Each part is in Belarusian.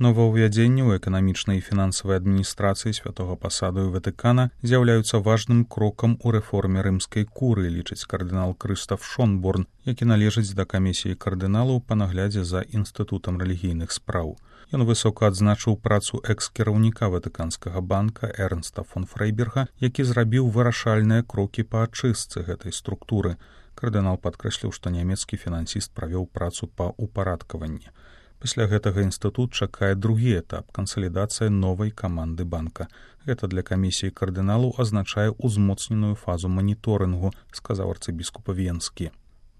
Новаўвядзенні ў эканамічнай і фінансавай адміністрацыі святога пасаду і Ватыкана з'яўляюцца важным крокам у рэформе рымскай курыі, лічыць кардынал Крыстаф Шонборн, які належыць да камісіі кардыналаў па наглядзе за інстытутам рэлігійных спраў. Ён высока адзначыў працу экс-кіраўніка Ватыканскага банка Эрнста фон Фрейберга, які зрабіў вырашальныя крокі па ачыстцы гэтай структуры. Кардынал падкрэсліў, што нямецкі фінансіст правёў працу па ўпарадкаванні. Пасля гэтага інстытут чакае другі этап – кансалідацыя новай каманды банка. Гэта для камісіі кардыналаў азначае ўзмоцненую фазу маніторынгу, сказаў арцыбіскуп Венскі.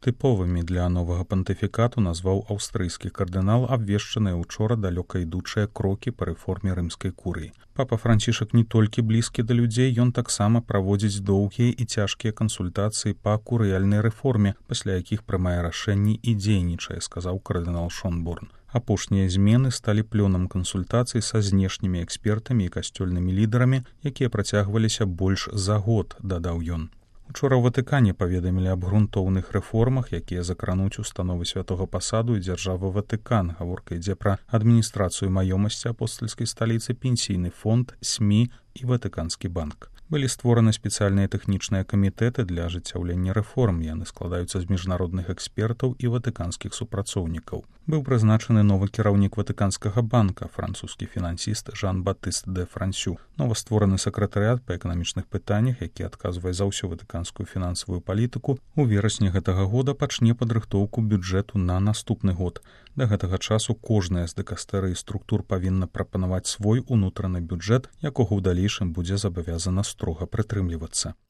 Тыповымі для новага пантыфікату назваў аўстрыйскі кардынал абвешчаныя ўчора далёка ідучыя крокі па рэформе рымскай курыі. Папа Францішак не толькі блізкі да людзей, ён таксама праводзіць доўгія і цяжкія кансультацыі па курыяльнай рэформе, пасля якіх прымае рашэнні і дзейнічае, сказаў кардынал Шонборн. Апошнія змены сталі плёнам кансультацый са знешнімі экспертамі і касцёльнымі лідарамі, якія працягваліся больш за год, дадаў ён. Учора ў Ватыкане паведамілі аб грунтоўных рэформах, якія закрануць установы святога пасаду і дзяржавы Ватыкан. Гаворка ідзе пра адміністрацыю маёмасці апостальскай сталіцы, пенсійны фонд, СМІ і Ватыканскі банк. Былі створаны спецыяльныя тэхнічныя камітэты для ажыццяўлення рэформ. Яны складаюцца з міжнародных экспертаў і ватыканскіх супрацоўнікаў. Быў прызначаны новы кіраўнік Ватыканскага банка, французскі фінансіст Жан-Батыст де Франсю. Новаствораны сакратарыят па эканамічных пытаннях, які адказвае за ўсю ватыканскую фінансавую палітыку, у верасні гэтага года пачне падрыхтоўку бюджэту на наступны год. Да гэтага часу кожная з дыкастэрый структур павінна прапанаваць свой унутраны бюджэт, якога ў далейшым будзе забавязана строга прытрымлівацца.